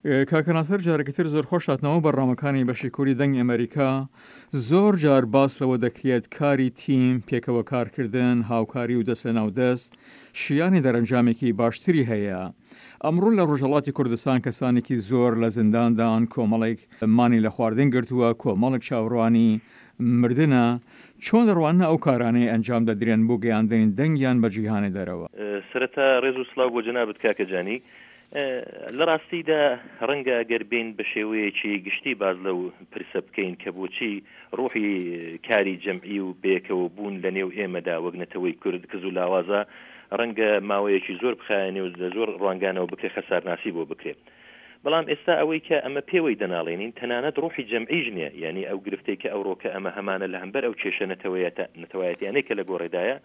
کاکە ناسر جارێکی تر زۆر خۆش هاتنەوە بەرنامەکانی بەشی کوردی دەنگی ئەمەریکا. زۆر جار باس لەوە دەکرێت کاری تیم، پێکەوە کارکردن، هاوکاری و دەست لەناو دەست شیانی دەرەنجامێکی باشتری هەیە. ئەمڕۆ لە ڕۆژهەڵاتی کوردستان کەسانێکی زۆر لە زینداندان، کۆمەڵێک مانی لە خواردن گرتووە، کۆمەڵێک چاوەڕوانی مردنە، چۆن دەڕواننە ئەو کارانەی ئەنجام دەدرێن بۆ گەیاندنی دەنگیان بە جیهانی دەرەوە؟ سەرەتا ڕێز و سڵاو بۆ جەنابت کاکە جانی. لە ڕاستیدا ڕەنگە گەر بێین بە شێوەیەکی گشتی باس لەو پرسە بکەین کە بۆچی ڕوحی کاری جەمعی و بەیەکەوە بوون لە نێو ئێمەدا وەک نەتەوەی کورد کز و لاوازە، ڕەنگە ماوەیەکی زۆر بخایەنێ و لە زۆر ڕوانگانەوە بکرێ خەسارناسی بۆ بکرێ. بەڵام ئێستا ئەوەی کە ئەمە پێوەی دەناڵێنین تەنانەت ڕوحی جەمعیش نیە، یانی ئەو گرفتەی کە ئەوڕۆکە ئەمە هەمانە لە هەمبەر ئەو کێشە نەتەوایەتیانەی کە لە گۆڕێدایە،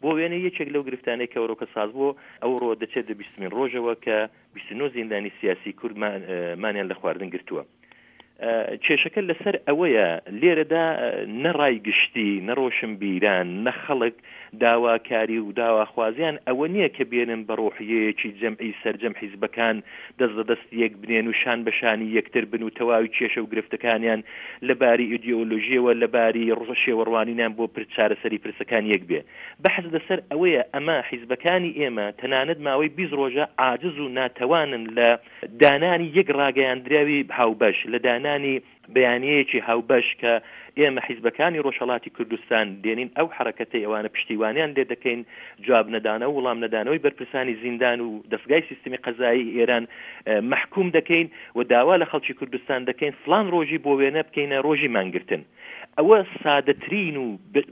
بۆ وێنە یەکێک لەو گرفتانەی کە ئەوڕۆکە ساز بۆ ئەوڕۆ دەچێتە بیستمین ڕۆژەوە کە 29 زیندانی سیاسی کورد مانیان لە خواردن گرتووە. کێشەکە لەسەر ئەوەیە لێرەدا نە ڕای گشتی، نە ڕۆشنبیران، نە خەڵک داواکاری و داواخوازیان ئەوە نییە کە بێنن بە ڕۆحیەیەکی جەمعی سەرجەم حیزبەکان دەست لە دەست یەک بنێن و شان بە شانی یەکتر بن و تەواوی کێشە و گرفتەکانیان لە باری ئیدیۆلۆژیەوە لە باری شێوەڕوانینیان بۆ چارەسەری پرسەکان یەک بێ. بەحس لەسەر ئەوەیە ئەمە حیزبەکانی ئێمە تەنانەت ماوەی 20 ڕۆژە عاجز و ناتەوانن لە دانانی یەک ڕاگەیاندراوی هاوبەش، لە دانانی بەیانیەیەکی هاوبەش کە ئێمە حیزبەکانی ڕۆژهەڵاتی کوردستان دێنین ئەو حەڕەکەتەی ئەوانە پشتیوانیان لێ دەکەین، جواب نەدانەوە وڵام نەدانەوەی بەرپرسانی زیندان و دەسگای سیستمی قەزایی ئێران مەحکووم دەکەین و داوا لە خەڵکی کوردستان دەکەین فڵان ڕۆژی بۆ وێنە بکەینە ڕۆژی مانگرتن. ئەوە سادەترین و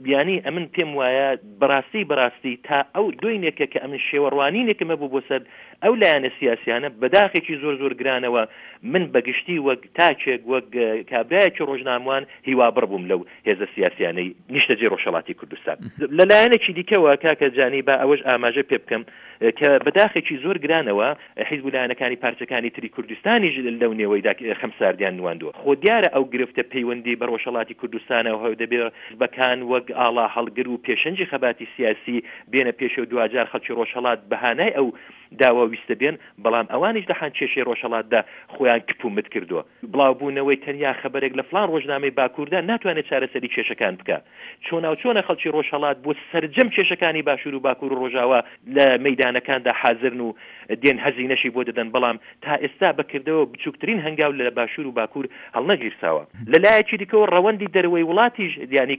یانی ئەمن پێم وایە بەڕاستی بەڕاستی تا ئەو دۆینێکە کە ئەمن شێوە ڕوانینێکم هەبوو بۆ سەر ئەو لایەنە سیاسیانە بەداخێکی زۆر زۆر گرانەوە من بەگشتی وەک تاکێک وەک کابرایەکی ڕۆژناموان هیوابڕ بووم لەو هێزە سیاسیانەی نیشتەجێی ڕۆژهەڵاتی کوردستان. لە لایەنێکی دیکەوە کاکە جانی با ئەوەش ئاماژە پێ بکەم کە بەداخێکی زۆر گرانەوە حیزب و لایەنەکانی پارچەکانی تری کوردستانیش لەو نێوەیدا خەمساردیان نواندووە. خۆ دیارە ئەو گرفتە پەیوەندی بە ڕۆژهەڵاتی کوردستانەوە هەیە و دەبێ حیزبەکان وەک ئاڵا هەڵگر و پێشەنگی خەباتی سیاسی بێنە پێشێ و دواجار خەڵکی ڕۆژهەڵات بە هانای ئەو داوا و ویستە بێن، بەڵام ئەوانیش لە حان کێشەی ڕۆژهەڵاتدا خۆیان کپ و مت کردووە. بڵاوبوونەوەی تەنیا خەبەرێک لە فڵان ڕۆژنامەی باکووردا ناتوانێ چارەسەری کێشەکان بکا. چۆناوچۆنە خەڵکی ڕۆژهەڵات بۆ سەرجەم کێشەکانی باشوور و باکوور و ڕۆژاوا لە مەیدانەکاندا حازرن و دێن هەزینەشی بۆ دەدەن، بەڵام تا ئێستا بە کردەوە بچووکترین هەنگاو لە باشوور و باکوور هەڵنەگیرساوە. لە لایەکی دیکەوە ڕەوەندی دەرەوەی وڵاتیش یانی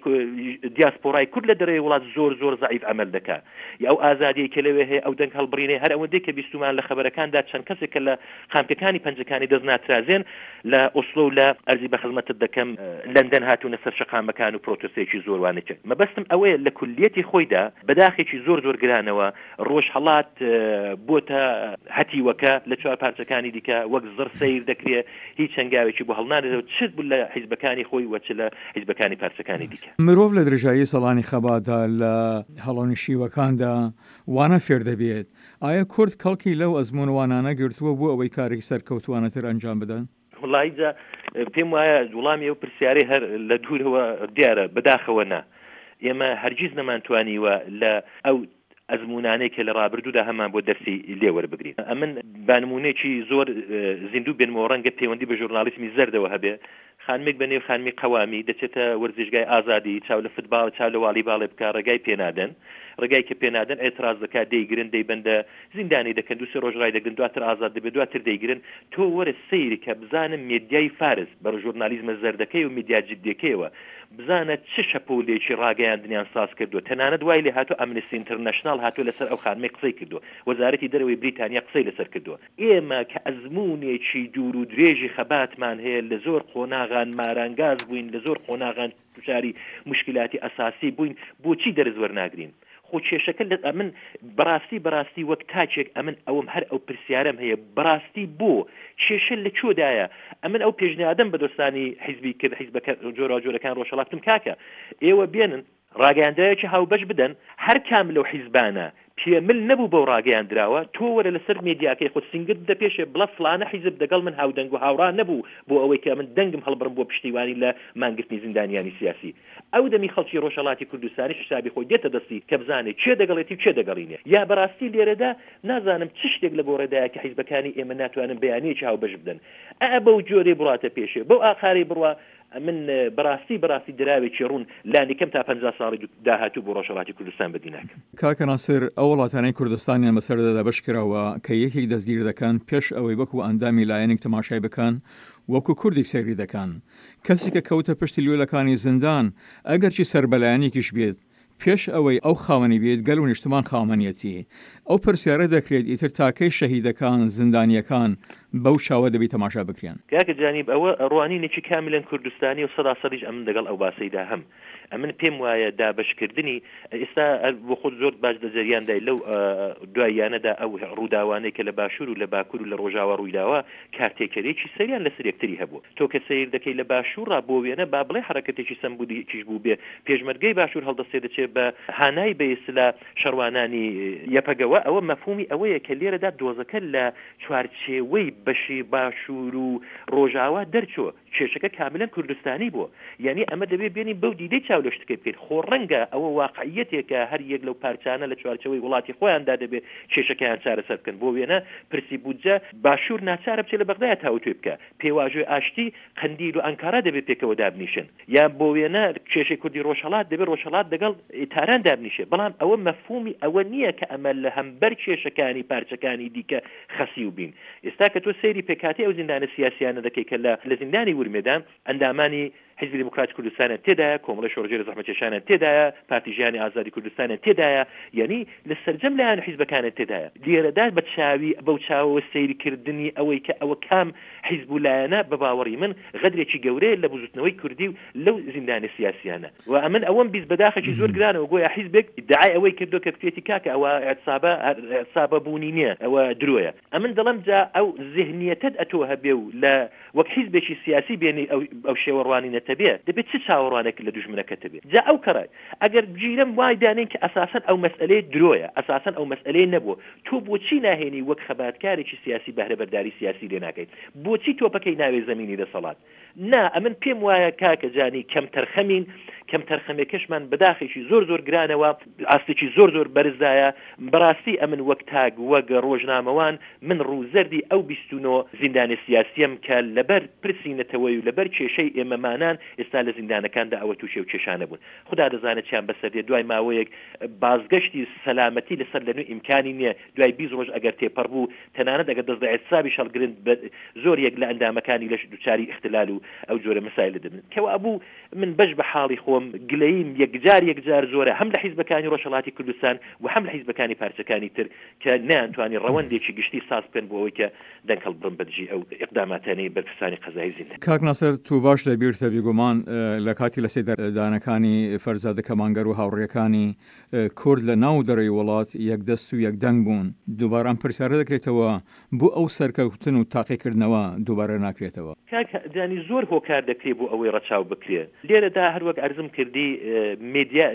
دیاسپۆرای کورد لە دەرەوەی وڵات زۆر زۆر زەعیف عەمەل دەکا. ئەو ئازادیەی کە لەوێ هەیە، ئەو دەنگ هەڵبڕینەی هەر ئەوەندەی کە بیستوومان لە خەبەرەکاندا چەند کەسێک کە لە قامکەکانی پەنجەکانی دەست ناترازێن لە ئۆسلۆ و لە ئەرزی بە خزمەتت دەکەم لەندەن هاتوونە سەر شەقامەکان و پرۆتۆستێکی زۆر وانەی کرد. مەبەستم ئەوەیە لە کولیەتی خۆیدا بە داخێکی زۆر زۆر گرانەوە ڕۆژهەڵات بۆتە هەتیوەکە لە چوار پارچەکانی دیکە وەک زڕ سەیر دەکرێ هیچ هەنگاوێکی بۆ هەڵنانرێت چ لە حیزبەکانی خۆی و چ لە حیزبەکانی پارچەکانی دیکە. مرۆڤ لە درێژایی ساڵانی خەباتدا لە هەڵۆنشیوەکاندا وانە فێر دەبێت، ئایا کورد کەڵکی لەو ئەزموون وانانە گرتووە بۆ ئەوەی کارێکی سەرکەوتووانەتر ئەنجام بدەن؟ وەڵایی جا پێم وایە وڵامی ئەو پرسیارەی هەر لە دوورەوە دیارە، بەداخەوە نا. ئێمە هەرگیز نەمانتوانیوە لە ئەو ئەزموونانەی کە لە ڕابردوودا هەمان بۆ دەرسی لێ وەربگرین. ئەمن با نموونەیەکی زۆر زیندوو بێنمەوە ڕەنگە پەیوەندی بە ژورناڵیسمی زەردەوە هەبێ. خانمێک بە نێو خانمی قەوامی دەچێتە وەرزشگای ئازادی چاو لە فتباڵ چاو لە واڵیباڵێ بکا ڕێگای پێ نادەن. ڕێگای کە پێ نادەن ئێتڕاز دەکا دەیگرن دەیبەندە زیندانی دەکەن دوو سێ ڕۆژ ڕایدەگرن دواتر ئازاد دەبێ دواتر دەیگرن تۆ وەرە سەیرکە بزانە مێدیای فارس بە ژورنالیزمە زەردەکەی و مێدیا جدیەکەیەوە بزانە چ شەپۆلێکی ڕاگەیاندنیان ساز کردووە تەنانەت وای لێ هاتووە ئەمنستی ئینترناشناڵ هاتووە لەسەر ئەو خانمەی قسەی کردووە وەزارەتی دەرەوەی بریتانیا قسەی لەسەر کردووە ئێمە کە ئەزموونێکی دوور و درێژی خەباتمان هەیە لە زۆر قۆناغان مارانگاز بووین لە زۆر قۆناغان دوچاری موشکیلاتی ئەساسی بووین بۆچی دەرس وەرناگرین؟ خۆ کێشەکە لە ئەمن بەڕاستی بەڕاستی وەک تاکێک ئەمن ئەوەم هەر ئەو پرسیارەم هەیە بەڕاستی بۆ کێشە لە کوێدایە ئەمن ئەو پێشنیادەم بە دۆستانی حیزبی کرد حیزبەکە جۆراوجۆرەکان ڕۆژهەڵات وتم کاکە ئێوە بێنن. ڕاگەیاندراوێکی هاوبەش بدەن، هەر کام لەو حیزبانە پێ مل نەبوو بەو ڕاگەیاندراوە، تۆ وەرە لەسەر مێدیاکەی خۆت سینگت بدە پێشێ بڵە فڵانە حیزب دەگەڵ من هاودەنگ و هاوڕا نەبوو بۆ ئەوەی کە ئەمن دەنگم هەڵبڕم بۆ پشتیوانی لە مانگرتنی زیندانیانی سیاسی. ئەو دەمی خەڵکی ڕۆژهەڵاتی کوردستانیش حیسابی خۆی دێتە دەستی کە بزانێ کێ دەگەڵێتی و کێ دەگەڵی نیە. یا بەڕاستی لێرەدا نازانم چ شتێک لە گۆڕێدایە کە حیزبەکانی ئێمە ناتوانن بەیانیەکی هاوبەش بدەن. ئا بەو جۆرەی بڕواتە پێشێ، بەو ئاقارەی بڕوا، ئەمن بەڕاستی بەڕاستی دراوێکی ڕوون لانیکەم تا 50 ساڵی داهاتوو بۆ ڕۆژهەڵاتی کوردستان بەدی ناکەم. کاکە ناسر ئەو وڵاتانەی کوردستانیان بەسەردا دابەش کراوە کە یەکێک دەستگیر دەکەن پێش ئەوەی وەکو ئەندامی لایەنێک تەماشای بکەن وەکو کوردێک سەیری دەکەن کەسی کە کەوتە پشتی لوێلەکانی زیندان ئەگەرچی سەر بە لایەنێکیش بێت پێش ئەوەی ئەو خاوەنی بێت گەل و نیشتمان خاوەنیەتی. ئەو پرسیارە دەکرێت ئیتر تا کەی شەهیدەکان، زیندانیەکان بەو چاوە دەبی تەماشا بکرێن؟ کاکە جانیب ئەوە ڕوانینێکی کاملەن کوردستانیە و سەدا سەدیش ئەمن دەگەڵ ئەو باسەیدا هەم. ئەمن پێم وایە دابەشکردنی ئێستا هەر بۆ خۆت زۆر باش لە جەریاندای لەو دواییانەدا ئەو ڕووداوانەی کە لە باشوور و لە باکوور و لە ڕۆژاوا ڕوویداوە کارتێکەریی سەیریان لەسەر یەکتری هەبوو. تۆ کە سەیر دەکەی لە باشوورڕا بۆ وێنە با بڵێ حەڕەکەتێکی سەمبولیکیش بووبێ، پێشمەرگەی باشوور هەڵدەستێ دەچێ بە هانای بە ئیستلا شەڕوانانی یەپەگەوە، ئەوە مەفهوومی ئەوەیە کە لێرەدا دۆزەکە لە چوارچێوەی بەشی باشوور و ڕۆژاوا دەرچووە. کێشەکە کاملەن کوردستانی بووە. یانی ئەمە دەبێ بێنین بەو دیدەی چاو لە شتەکەی بکەین. خۆ ڕەنگە ئەوە واقعییەتێکە هەر یەک لەو پارچانە لە چوارچێوەی وڵاتی خۆیاندا دەبێ کێشەکەیان چارەسەر بکەن. بۆ وێنە پرسی بودجە باشوور ناچارە بچێ لە بەغدایە تاوتوێ بکا. پێواژۆی ئاشتی قەندیل و ئانکارا دەبێ پێکەوە دابنیشن. یان بۆ وێنە کێشەی کوردی ڕۆژهەڵات دەبێ ڕۆژهەڵات دەگەڵ تاران دابنیشێ. بەڵام ئەوە مەفهوومی ئەوە نییە کە ئەمە لە هەمبەر کێشەکانی پارچەکانی دیکە خەسیو بین. ئێستا کە تۆ سەیری پێکهاتەی ئەو زیندانە سیاسییانە دەکەی کە لە لە زیندانی ورمێدان، ئەندامانی حیزبی دێموکراتی کوردستانیان تێدایە، کۆمەڵەی شۆڕشگێری زەحمەتکێشانیان تێدایە، پارتی ژیانی ئازادی کوردستانیان تێدایە، یانی لە سەرجەم لایەن و حیزبەکانیان تێدایە. لێرەدا بە چاوی بەو چاوەوە سەیری کردنی ئەوەی کە ئەوە کام حیزب و لایەنە بە باوەڕی من غەدرێکی گەورەیە لە بزووتنەوەی کوردی و لەو زیندانە سیاسییانە. و ئەمن ئەوەم 20 بەداخێکی زۆر گرانەوە گۆیا حیزبێک ئیدعای ئەوەی کردوە کە کوتێتی کاکە ئەوە ئیعتسابە هەر ئیعتسابە بوونی نیە ئەوە درۆیە ئەمن دەڵێم جا ئەو زهنیەتەت ئەتۆ هەبێ و لە وەک حیزبێکی سیاسی بێنی ئەو ئەو شێوە ڕوانینەتە بێ دەبێ چ چاوەڕوانێک لە دوژمنەکەت هەبێ جا ئەو کەڕە ئەگەر گیرەم وای دانێین کە ئەساسەن ئەو مەسئەلەیە درۆیە ئەساسەن ئەو مەسئەلەیە نەبووە تۆ بۆچی ناهێنی وەک خەباتکارێکی سیاسی بەهرەبەرداری سیاسی لێ ناکەیت بۆچی تۆپەکەی ناوێ زەمینی دەسەڵات نا ئەمن پێم وایە کاکە جانی کەمتەرخەمین، کەمتەرخەمێکەشمان بەداخێکی زۆر زۆر گرانەوە ئاستێکی زۆر زۆر بەرزدایە، بەڕاستی ئەمن وەک تاک وەک ڕۆژنامەوان من ڕووزەردی ئەو 29 زیندانیە سیاسیەم کە لەبەر پرسی نەتەوەی و لەبەر کێشەی ئێمەمانان ئێستا لە زیندانەکاندا ئەوە تووشی ئەو کێشانە بوون خودا دەزانێت چیان بەسەر دێت دوای ماوەیەک بازگەشتی سەلامەتی لەسەر لەنوێ ئیمکانی نیە دوای 20 ڕۆژ ئەگەر تێپەڕ بوو تەنانەت ئەگەر دەست لە ئیعتسابیش هەڵگرن بە زۆر یەک لە ئەندامەکانی لەش دوچاری ئیختلال و ئەو جۆرە مەسایلە دەبن. کەوابوو من بەش بە حاڵی خۆم گلەییم یەکجار یەکجار زۆرە هەم لە حیزبەکانی ڕۆژهەڵاتی کوردستان و هەم لە حیزبەکانی پارچەکانی تر کە نەیانتوانی ڕەوەندێکی گشتی ساز بکەن بۆ ئەوەی کە دەنگ هەڵبڕن بە دژی ئەو ئیقداماتانەی بەرپرسانی قەزایی زیندان. کاک ناسر تۆ باش لە بیرتە بیگومان لە کاتی لەسێدارەدانەکانی فەرزادە کەمانگەر و هاوڕێکانی کورد لە ناو دەرەوەی وڵات یەک دەست و یەک دەنگ بوون. دووبارە ئەم پرسیارە دەکرێتەوە، بۆ ئەو سەرکەوتن و تاقیکردنەوە دووبارە ناکرێتەوە؟ کاک جانی زۆر هۆکار دەکرێ بۆ ئەوەی ڕەچاو بکرێ. لێرەدا هەر وەک عەرزم کردی مێدیا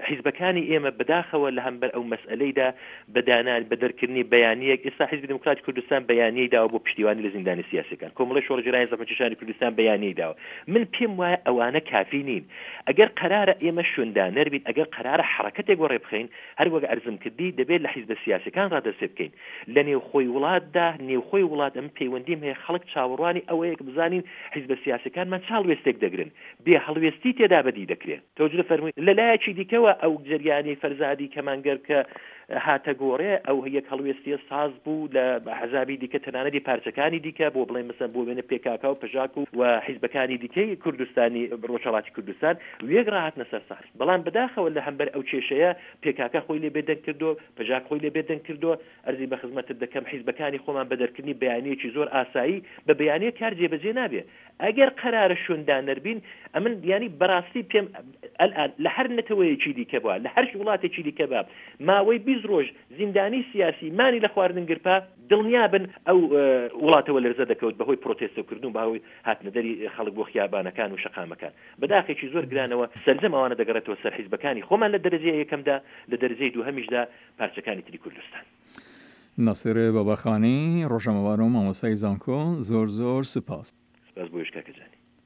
حیزبەکانی ئێمە بەداخەوە لە هەمبەر ئەو مەسئەلەیدا بە دانان بە دەرکردنی بەیانییەک ئێستا حیزبی دێموکراتی کوردستان بەیانیەی داوە بۆ پشتیوانی لە زیندانە سیاسیەکان کۆمەڵەی شۆڕشگێرانی زەحمەتکێشانی کوردستان بەیانیەی داوە من پێم وایە ئەوانە کافی نین ئەگەر قەرارە ئێمە شوێندانەر بین، ئەگەر قەرارە حەڕەکەتێک وەڕێ بخەین، هەر وەک عەرزم کردی دەبێ لە حیزبە سیاسیەکان ڕا دەست پێ بکەین. لە نێوخۆی وڵاتدا، نێوخۆی وڵات ئەمن پەیوەندیم هەیە، خەڵک چاوەڕوانی ئەوەیە کە بزانین حیزبە سیاسیەکانمان چ هەڵوێستێک دەگرن. بێ هەڵوێستی تێدا بەدی دەکرێ. تەوجدە فەرمووی. لە لایەکی دیکەوە ئەو جەریانەی فەرزادی کەمانگەر کە هاتە گۆڕێ، ئەو یەک هەڵوێستییە ساز بوو لە ئەحزابی دیکە تەنانەتی پارچەکانی دیکە بۆ بڵێین مەسەلەن بۆ وێنە پێکاکا و پژاک و و حیزبەکانی دیکەی کوردستانی ڕۆژهەڵاتی کوردستان وێک ڕاهاتنە سەر سەحنە بەڵام بەداخەوە لە هەمبەر ئەو کێشەیە پێکاکا خۆی لێ بێدەنگ کردۆ پژاک خۆی لێ بێدەنگ کردۆ ئەرزی بە خزمەتت دەکەم حیزبەکانی خۆمان بە دەرکردنی بەیانییەکی زۆر ئاسایی بە بەیانییە کار جێبەجێ نابێ ئەگەر قەرارە شوێندانەر بین ئەمن یانی بەڕاستی پێم ئەلئان لە هەر نەتەوەیەکی دیکە با لە هەر وڵاتێکی دیکە با ماوەی 20. 20 ڕۆژ زیندانی سیاسی مانی لە خواردن گرپا، دڵنیابن ئەو وڵاتە وەلەرزە دەکەوت بەهۆی پرۆتێستۆکردن و بەهۆی هاتنەدەری خەڵک بۆ خیابانەکان و شەقامەکان. بەداخێکی زۆر گرانەوە سەرجەم ئەوانە دەگەڕێتەوە سەر حیزبەکانی خۆمان لە دەرەجەی یەکەمدا، لە دەرەجەی دووهەمیشدا پارچەکانی تری کوردستان. ناسر باباخانی، ڕۆژنامەوان و مامۆستای زانکۆ، زۆر زۆر سوپاس. سپاس بۆیش کاکە جانی.